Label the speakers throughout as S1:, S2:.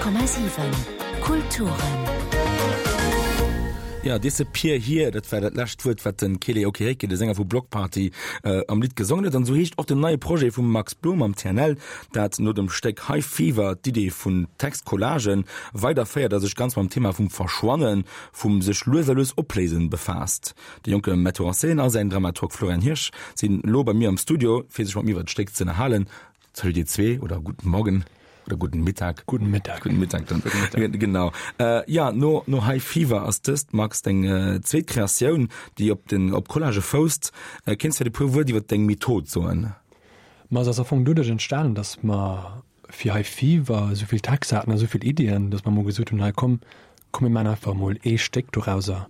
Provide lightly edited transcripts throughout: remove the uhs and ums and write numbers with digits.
S1: 100,7 Kulturen.
S2: Ja, Disappear Here, dat war dat lescht Wuert, wat den Kele Okereke, de Sänger vu Bloc Party, äh, am Lidd gesongen huet. An esou heescht och den neie Projet vum Max Blum am TNL, dat no dem Stéck High Fever d'Idee vun Textcollagen weiderféiert a sech ganz mam Thema vum Verschwannen, vum sech lues a lues opléisen befaasst. De jonke Metteur en scène a säin Dramaturg Florian Hirsch sinn elo bei mir am Studio, fir sech mat mir iwwer d'Stéck z'ënnerhalen. Salut dir zwee oder guten Morgen oder guten Mittag.
S3: Guten Mittag.
S2: Guten Mittag dann. Guten Mittag. Genau. Äh, ja, no, no High Fever ass dëst, Max, deng äh, zweet Kreatioun, déi op den op Collage fousst. Äh, kéints vläicht e puer Wuert iwwer deng Method soen?
S3: Ma se ass am Fong doduerch entstanen, dass mer fir High Fever esou vill Texter haten a esou vill Iddien, dass mer emol gesot hunn, hei komm, komm mir maachen einfach emol ee Stéck dorauser.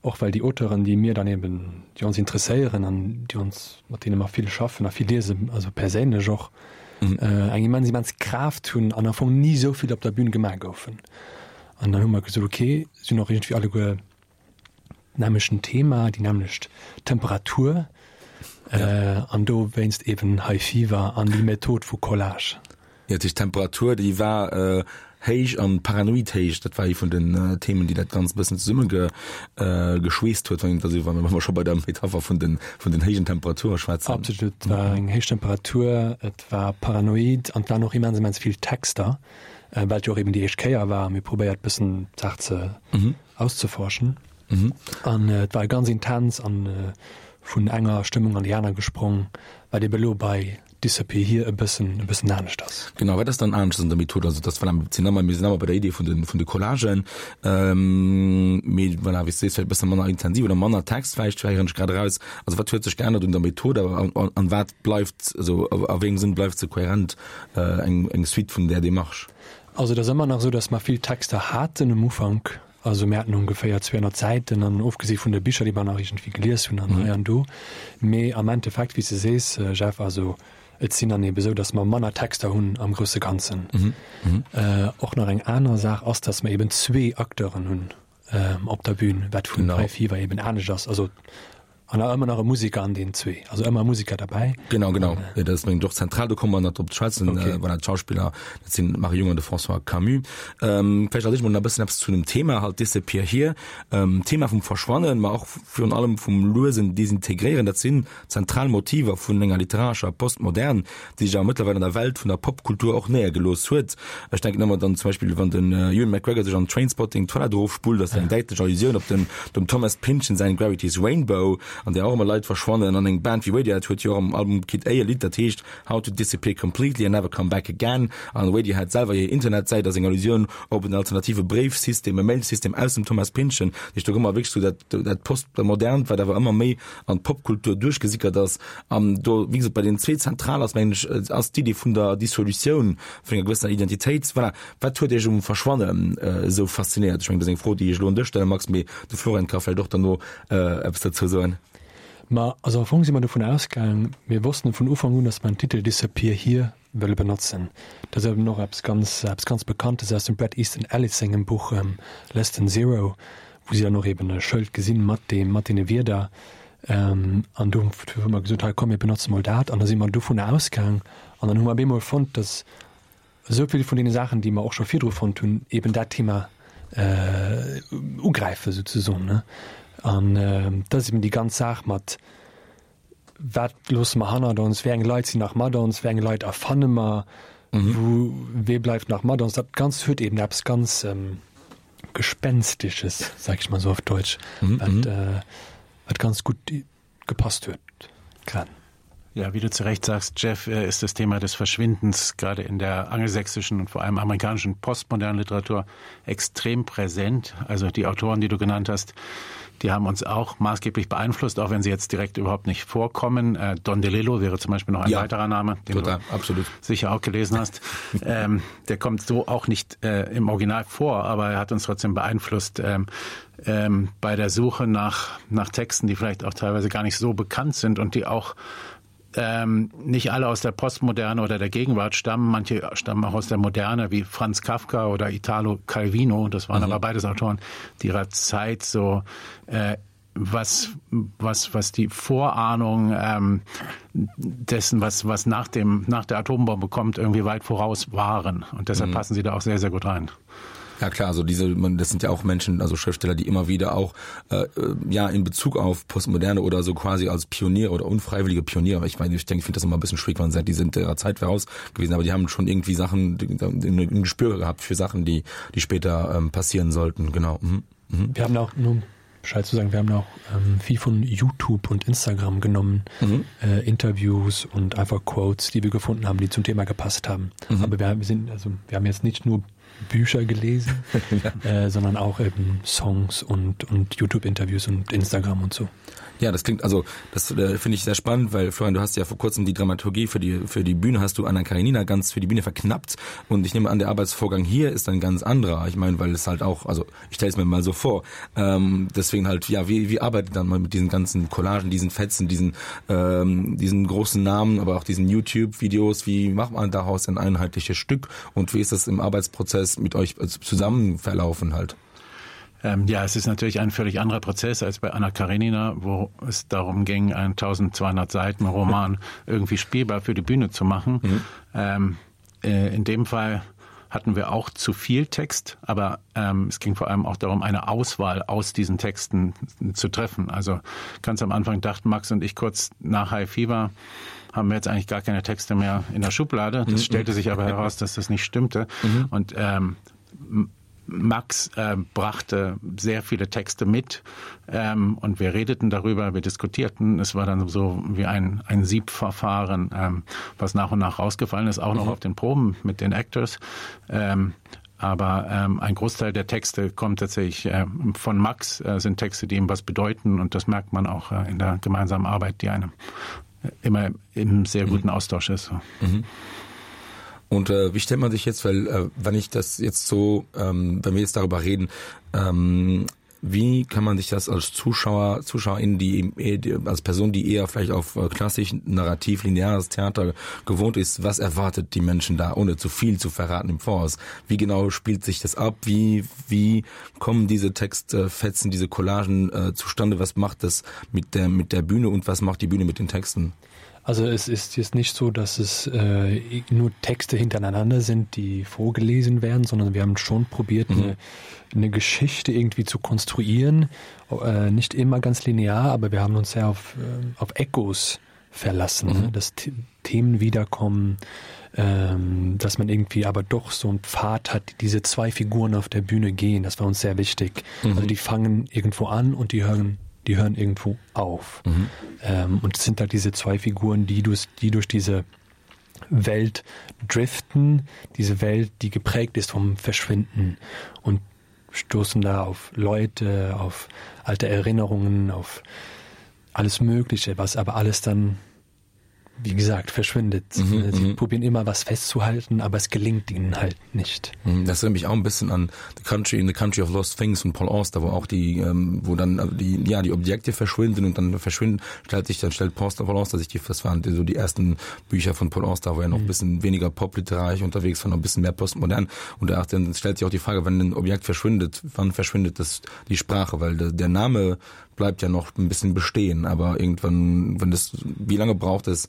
S3: Och well déi Auteuren, déi mir dann eben, déi ons interesséieren an déi ons, mat deene mer vill schaffen a vill liesen, also perséinlech och, eng immens, immens Kraaft hunn an am Fong ni esou vill op der Bühn gemaach goufen. An dann hu mer gesot, okay, si hunn och iergendwéi alleguer nämmlechten Thema, déi nämmlecht Temperatur an dowéinst eben High Fever an déi Method vu Collage.
S2: Jo, dat heescht d'Temperatur déi war héich an paranoid héich, dat war ee vun den Themen, déi dat Ganzt e bëssen zesumme geschweesst huet, wann een dat esou, wa mer scho bei der Metapher vun den, vun den héijen Temperature schwätzen.
S3: Absolut, et war eng héich Temperatur, et war paranoid an et waren och immens, immens vill Texter, well et jo och eben déi éischt Kéier war a mir probéiert bëssen d'Saach ze auszeforschen. An et war ganz intens an vun enger Stëmmung an déi aner gesprong, wat ebe lo bei Disappear Here e bëssen e bëssen anescht ass.
S2: Genau, wat ass dann anescht an der Method? Also dass voilà, mir sinn ëmmer, mir sinn ëmmer bei der Idee vun de vun de Collagen, mee voilà, wéi s du sees, vläicht e bësse manner intensiv oder manner Text vläicht, héieren ech grad eraus. Also wat huet sech geännert un der Method a an wat bleift, also a wéi engem Sënn bleift se kohärent, eng eng Suite vun där Démarche?
S3: Also et ass ëmmer nach esou, datt mer vill Texter haten um Ufank. Also mir haten ongeféier 200 Säiten an ofgesi vun de Bicher, déi mer nach iergendwéi gelies hunn an hei an do. Mee am Endeffekt, wéi s de sees, Jeff, also et sinn dann ebe esou, datt mer manner Texter hunn am grousse Ganzen. Och nach eng aner Saach ass, datt mer eben zwee Acteuren hunn op der Bühn, wat vun High Fever eben anescht ass. Also An a ëmmer nach e Musiker an deenen zwee, also ëmmer e Musiker derbäi.
S2: Genau, genau. Ja, dat ass mengen ech och zentral, do komme mer nach drop ze schwätzen. Okay. Voilà, d'Schauspiller, dat sinn d'Marie Jung an de François Camus. Ähm, vläicht als éischt mol nach e bëssen eppes zu dem Thema halt, Disappear Here. Ähm, Thema vum Verschwannen, ma och virun allem vum luesen Desintegréieren, dat sinn zentral Motiver vun enger literarescher Postmodern, déi sech awer mëttlerweil an der Welt vun der Popkultur och néiergelooss huet. Ech denken ëmmer dann zum Beispill, wann den Ewan McGregor sech an Trainspotting d'Toilette erofspullt, ass dat eng däitlech Allusioun op den dem Thomas Pynchon säin Gravity's Rainbow, an där och ëmmer Leit verschwannen. An eng Band wéi Radiohead huet jo och am Album Kid A e Lidd, dat heescht How to Disappear Completely and Never Come Back Again. An Radiohead selwer hir Internetsäit ass eng Allusioun op en alternative Bréifsystem, e Mailsystem aus dem Thomas Pynchon. Dat heescht, do hu mer wierklech sou dat dat Postmodernt, wat awer ëmmer méi an d'Popkultur duerchgesickert ass. An do, wéi gesot, bei deenen zwee zentral ass, mengen ech, ass d'Idee vun der Dissolutioun vun enger gewëssener Identitéit. Voilà. Wat huet Iech um Verschwannen esou faszinéiert? Ech mengen, dat ass eng Fro, déi ech elo un dech stellen, Max, mee de Florian ka vläicht och derno eppes dozou soen.
S3: Ma also am Fong si mer dovun ausgaang, mir wossten vun Ufank un, datt mer den Titel Disappear Here wëlle benotzen. Dat ass eben och eppes ganz, eppes ganz Bekanntes aus dem Bret Easton Ellis sengem Buch Less Than Zero, wou si dann och eben e Schëld gesinn mat deem, mat deene Wierder. An do hu mer gesot, hei komm mir benotze mol dat. An da si mer dovunner ausgaang an dann hu mer op eemol fonnt, datt esou vill vun deene Saachen, déi mer och scho virdru fonnt hunn, eben dat Thema ugräifen souzesoen, ne. An dat ass eben déi ganz Saach mat, Wat loosse mer hannert ons? Wéi eng Leit sinn nach mat ons? Wéi eng Leit erfanne mer? Wou, wee bleift nach mat ons? Dat Ganzt huet eben eppes ganz Gespenstesches, sag ich mal so auf Deutsch, wat, wat ganz gutt gepasst huet grad.
S4: Ja, wie du zu Recht sagst, Jeff, ist das Thema des Verschwindens gerade in der angelsächsischen und vor allem amerikanischen postmodernen Literatur extrem präsent. Also die Autoren, die du genannt hast, die haben uns auch maßgeblich beeinflusst, auch wenn sie jetzt direkt überhaupt nicht vorkommen. Äh, Don DeLillo wäre zum Beispiel noch ein ja, weiterer Name, den
S2: total,
S4: du
S2: absolut.
S4: sicher auch gelesen hast. ähm, der kommt so auch nicht äh, im Original vor, aber er hat uns trotzdem beeinflusst ähm, ähm, bei der Suche nach, nach Texten, die vielleicht auch teilweise gar nicht so bekannt sind und die auch ähm, nicht alle aus der Postmoderne oder der Gegenwart stammen. Manche stammen auch aus der Moderne, wie Franz Kafka oder Italo Calvino. Das waren mhm. aber beides Autoren, die ihrer Zeit so äh,. was, was, was die Vorahnung ähm, dessen, was, was nach, dem, nach der Atombombe kommt, irgendwie weit voraus waren. Und deshalb mhm. passen sie da auch sehr, sehr gut rein.
S2: Ja klar, also diese man, das sind ja auch Menschen, also Schriftsteller, die immer wieder auch äh, äh ja in Bezug auf Postmoderne oder so quasi als Pioniere oder unfreiwillige Pioniere. Ich meine, ich denke, ich finde das immer ein bisschen schwierig, man sagt, die sind ihrer Zeit voraus gewesen, aber die haben schon irgendwie Sachen ein Gespür gehabt für Sachen, die die später ähm, passieren sollten. Genau. Mhm.
S3: Mhm. Wir haben auch nur Bescheid zu sagen, wir haben auch ähm, viel von YouTube und Instagram genommen, mhm. äh, Interviews und einfach Quotes, die wir gefunden haben, die zum Thema gepasst haben. Mhm. Aber wir, wir sind also wir haben jetzt nicht nur Bücher gelesen, ja. äh, sondern auch eben Songs und, und YouTube-Interviews und Instagram und so.
S2: Ja, das klingt also das äh, finde ich sehr spannend, weil Florian, du hast ja vor kurzem die Dramaturgie für die für die Bühne hast du Anna Karenina ganz für die Bühne verknappt und ich nehme an der Arbeitsvorgang hier ist ein ganz anderer. Ich meine, weil es halt auch also ich stelle es mir mal so vor. Ähm, deswegen halt ja, wie, wie arbeitet dann mal mit diesen ganzen Collagen, diesen Fetzen, diesen ähm, diesen großen Namen, aber auch diesen YouTube Videos, wie macht man daraus ein einheitliches Stück und wie ist das im Arbeitsprozess mit euch äh, zusammen verlaufen halt?
S4: Ähm, ja, es ist natürlich ein völlig anderer Prozess als bei Anna Karenina, wo es darum ging, einen 1200 Seiten Roman irgendwie spielbar für die Bühne zu machen. Mhm. Ähm, äh, in dem Fall hatten wir auch zu viel Text, aber ähm, es ging vor allem auch darum, eine Auswahl aus diesen Texten zu treffen. Also ganz am Anfang dachten Max und ich kurz nach High Fever, haben wir jetzt eigentlich gar keine Texte mehr in der Schublade. Das mhm. stellte sich aber heraus, dass das nicht stimmte. Mhm. Und ähm, Max äh, brachte sehr viele Texte mit ähm, und wir redeten darüber, wir diskutierten. Es war dann so wie ein, ein Siebverfahren, ähm, was nach und nach rausgefallen ist, auch noch mhm. auf den Proben mit den Actors. Ähm, aber ähm, ein Großteil der Texte kommt tatsächlich äh, von Max, äh, sind Texte, die ihm was bedeuten und das merkt man auch äh, in der gemeinsamen Arbeit, die einem äh, immer im sehr mhm. guten Austausch ist.
S2: Mhm. Und äh, wie stellt man sich jetzt, weil äh, wenn ich das jetzt so, ähm, wenn wir jetzt darüber reden, ähm, wie kann man sich das als Zuschauer, ZuschauerInnen, die, eh, die als Person, die eher vielleicht auf äh, klassisch narrativ lineares Theater gewohnt ist, was erwartet die Menschen da, ohne zu viel zu verraten im Voraus? Wie genau spielt sich das ab? Wie, wie kommen diese Textfetzen, diese Collagen äh, zustande? Was macht das mit der, mit der Bühne und was macht die Bühne mit den Texten?
S3: Also es ist jetzt nicht so, dass es äh, nur Texte hintereinander sind, die vorgelesen werden, sondern wir haben schon probiert, mhm. eine, eine Geschichte irgendwie zu konstruieren. Äh, nicht immer ganz linear, aber wir haben uns sehr auf, äh, auf Echos verlassen, mhm. dass Themen wiederkommen, ähm, dass man irgendwie aber doch so einen Pfad hat, die diese zwei Figuren auf der Bühne gehen. Das war uns sehr wichtig. Mhm. Also die fangen irgendwo an und die hören die hören irgendwo auf. Mhm. Ähm, und es sind halt diese zwei Figuren, die durch, die durch diese Welt driften, diese Welt, die geprägt ist vom Verschwinden und stoßen da auf Leute, auf alte Erinnerungen, auf alles Mögliche, was aber alles dann wie gesagt, verschwindet. Mhm, Sie mhm. probieren immer was festzuhalten, aber es gelingt ihnen halt nicht.
S2: Mhm, das erinnert mich auch ein bisschen an The Country in the Country of Lost Things von Paul Auster, wo auch die, ähm, wo dann äh, die, ja, die Objekte verschwinden und dann verschwinden, stellt sich, dann stellt Paul Auster sich die, das waren so die ersten Bücher von Paul Auster, wo er noch ein mhm. bisschen weniger popliterarisch unterwegs war, noch ein bisschen mehr postmodern. Und da dann stellt sich auch die Frage, wenn ein Objekt verschwindet, wann verschwindet das die Sprache, weil der, der Name bleibt ja noch ein bisschen bestehen, aber irgendwann, wenn das, wie lange braucht es,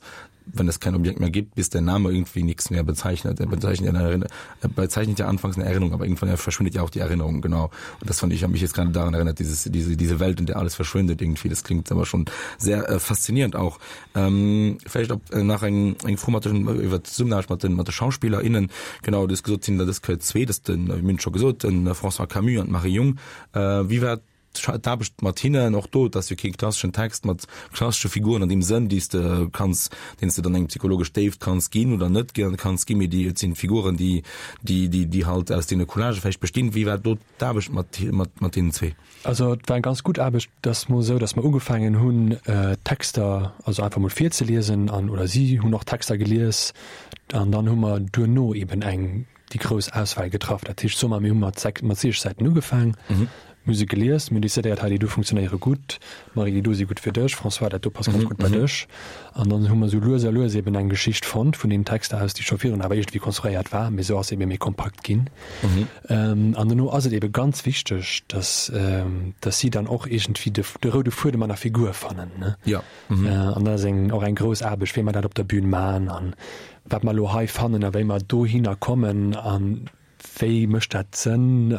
S2: wenn es kein Objekt mehr gibt, bis der Name irgendwie nichts mehr bezeichnet. Er bezeichnet, eine, er bezeichnet ja anfangs eine Erinnerung, aber irgendwann er verschwindet ja auch die Erinnerung, genau. Und das fand ich, habe mich jetzt gerade daran erinnert, dieses, diese, diese Welt, in der alles verschwindet irgendwie. Das klingt aber schon sehr äh, faszinierend auch. Ähm, vielleicht ob äh, nach eng eng formatischen äh, iwwer d'Zesummenaarbecht mat den mat de SchauspillerInnen, genau, du hues gesot, sinn der dës Kéier zwee, dat den, wéi mir hunn et scho gesot, den François Camus an d'Marie Jung. Äh, wéi war d'Aarbecht mat hinnen? Och do, et ass jo kee klasseschen Text mat klassesche Figuren an deem Sënn, déi s de kanns, deenen s de dann eng psychologesch Déift kanns ginn oder net kanns ginn, mee déi, et sinn Figuren, déi, déi, déi, déi halt aus deene Collagë vläicht bestinn. Wéi war do d'Aarbecht mat, mat, mat deenen zwee?
S3: Also et war eng ganz gutt Aarbecht. Et ass mol esou, datt mer ugefaangen hunn, Texter also einfach mol virzeliesen an, oder si hunn och Texter gelies an dann hu mer duerno eben eng déi grouss Auswahl getraff. Dat heescht, soe mer, mir hu mat mat 60 Säiten ugefaang. Mir hu se gelies, mir hunn decidéiert, hei déi do funktionéiere gutt, Marie, déi do si gutt fir dech, François, dat do passt ganz gutt bei dech. An dann hu mer esou lues a lues eben eng Geschicht fonnt vun deenen Texter aus, déi scho virun awer iergendwéi konstruéiert war, mee esou ass se ebe méi kompakt ginn. An dono ass et ebe ganz wichteg, dass, dass si dann och iergendwéi de, de roude Fuedem an der Figur fannen, ne?
S2: Ja.
S3: An dat ass eng, och eng grouss Aarbecht, wéi mer dat op der Bühn maachen an wat mer elo hei fannen a wéi mer dohinner kommen an Wéi mécht dat Sënn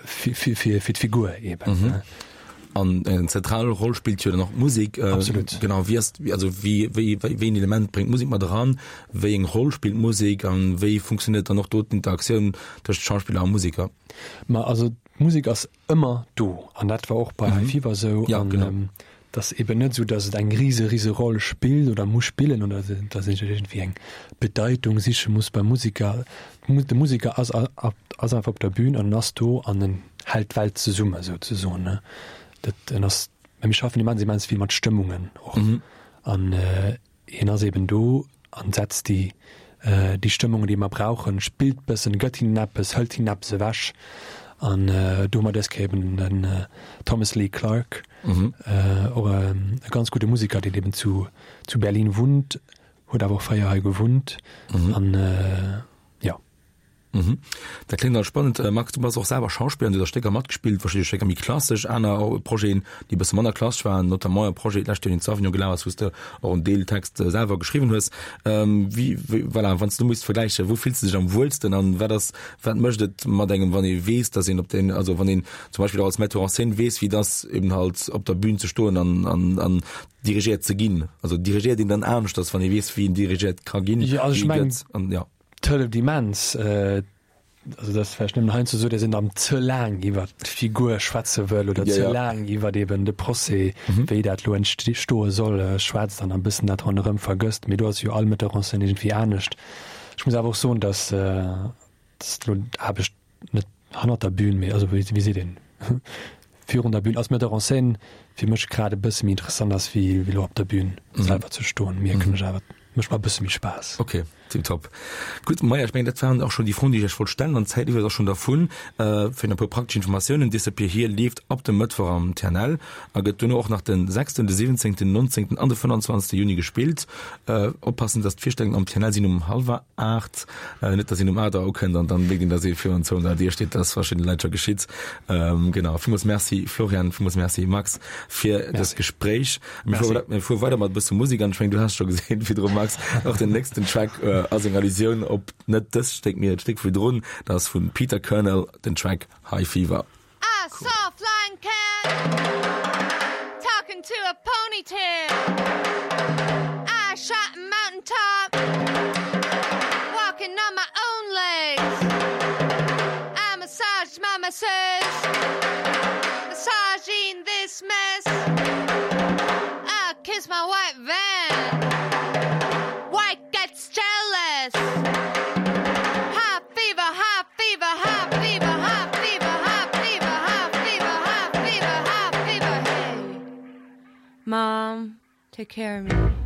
S3: fir d'Figur eben?
S2: An eng zentral Roll spillt jo dann och d'Musek.
S3: Absolut.
S2: Genau, wéi ass, also wéi, wéi, wéi een Element bréngt d'Musek mat eran? Wéi eng Roll spillt d'Musek an wéi funktionéiert dann och do d'Interaktioun tëscht Schauspiller a Museker?
S3: Ma also d'Musek ass ëmmer do an dat war och bei High Fever esou.
S2: Ja, genau.
S3: Et ass eben net esou, datt et eng rise rise Roll spillt oder muss spillen oder datt een iergendwéi eng Bedeitung siche muss beim Musiker. De Musiker ass ass einfach op der Bühn an en ass do an en hält d'Welt zesumme souzesoen, ne. Dat en ass, mä mir schaffen immens immens vill mat Stëmmungen och an Hien ass eben do an setzt déi déi Stëmmungen, déi mer brauchen, spillt bëssen, gëtt hinnen eppes, hëlt hinnen eppes ewech. An do hu mer dës Kéier eben den Thomas Lee Clarke, och e ganz gudde Musiker, deen eben zu zu Berlin wunnt, huet awer och fréier hei gewunnt an jo.
S2: Mhm. Dat kléngt alles spannend. Max, du bass och selwer Schauspiller an du hues a Stécker matgespillt, verschidde Stécker méi klassesch, aner Projeten, déi e bësse manner klassesch waren, notamment e Projet d'lescht Joer, deen zu Avignon gelaf ass, wou s de och en Deel Text selwer geschriwwen hues. Wéi, wéi, voilà, wann s du misst vergläichen, wou fills de dech am wuelsten an wat ass, wat mécht et mat engem, wann ee weess, datt een op den, also wann een zum Beispill och als Metteur en scène weess, wéi et ass, eben halt op der Bühn ze stoen an, an, an dirigéiert ze ginn? Also dirigéiert een dann aneschters, wann ee weess, wéi een dirigéiert ka ginn,
S3: Jo, also ech
S2: wéi
S3: mengen,
S2: gëtt an, ja.
S3: Et hëlleft immens, also dat ass vläicht nëmmen heiansdo esou, datt een dann ze laang iwwer d'Figur schwätze wëll oder ze laang iwwer eben de Procès, wéi dat elo entstoe soll, schwätzt an e bëssen dat ronderëm vergësst. Mee do ass jo all Metteur en scène iergendwéi anescht. Ech muss awer och soen, datt elo d'Aarbecht net hannert der Bühn, mee also wéi seet een, virun der Bühn als Metteur en scène fir mech grad e bësse méi interessant ass wéi elo op der Bühn selwer ze stoen. Mierken ech awer, et mécht mer e bësse méi Spaass.
S2: Ok, tiptop. Gutt, Maja, ech mengen dat waren och schonn déi Froen, déi ech iech wollt stellen an d'Zäit iwwert ass schonn dervun. Fir nach e puer praktesch Informatiounen, Disappear Here leeft ab dem Mëttwoch am TNL a gëtt duerno och nach den sechsten, de siwwenzéngten, nonzéngten an de 25. Juni gespillt. Oppassen, dass d'Virstellungen am TNL sinn um hallwer 8, net dass een um 8 Auer ukënnt an dann mierkt een, dass ee virun zou an der Dier steet. Dat ass verschiddene Leit scho geschitt. Genau, villmools Merci Florian, villmools Merci Max fir dëst Gespréich. Mir fuere mir fuere weider mat e bësse Musek an ech mengen, du has scho gesinn virdru Max, och den nächsten Track ass eng Allusioun op net dëst Stéck, mee et Stéck virdrun. Dat ass vun Peter Kernel den Track High Fever.
S1: I saw a flying cat talking to a ponytail. I shot a mountain top walking on my own legs. I massaged my masseuse, massaging this mess. I kiss my white van. White gets jealous. High fever, high fever, high fever, high fever, high fever, high fever, high fever, high fever. Hey, mom, take care of me.